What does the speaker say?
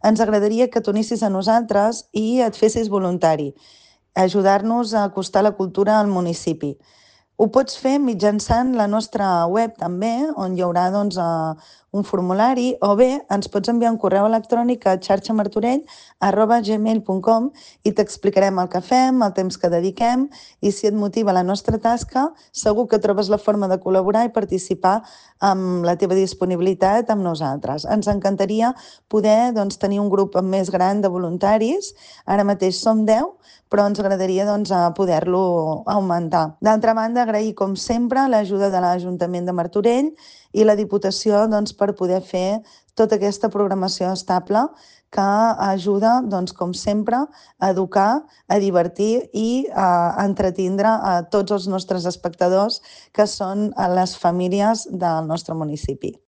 ens agradaria que t'unissis a nosaltres i et fessis voluntari, ajudar-nos a acostar la cultura al municipi. Ho pots fer mitjançant la nostra web també, on hi haurà un formulari, o bé ens pots enviar un correu electrònic a xarxamartorell@gmail.com i t'explicarem el que fem, el temps que dediquem i si et motiva la nostra tasca, segur que trobes la forma de col·laborar i participar amb la teva disponibilitat amb nosaltres. Ens encantaria poder tenir un grup més gran de voluntaris. Ara mateix som 10, però ens agradaria poder-lo augmentar. D'altra banda, agrair, com sempre, l'ajuda de l'Ajuntament de Martorell i la Diputació per poder fer tota aquesta programació estable que ajuda, com sempre, a educar, a divertir i a entretindre a tots els nostres espectadors, que són les famílies del nostre municipi.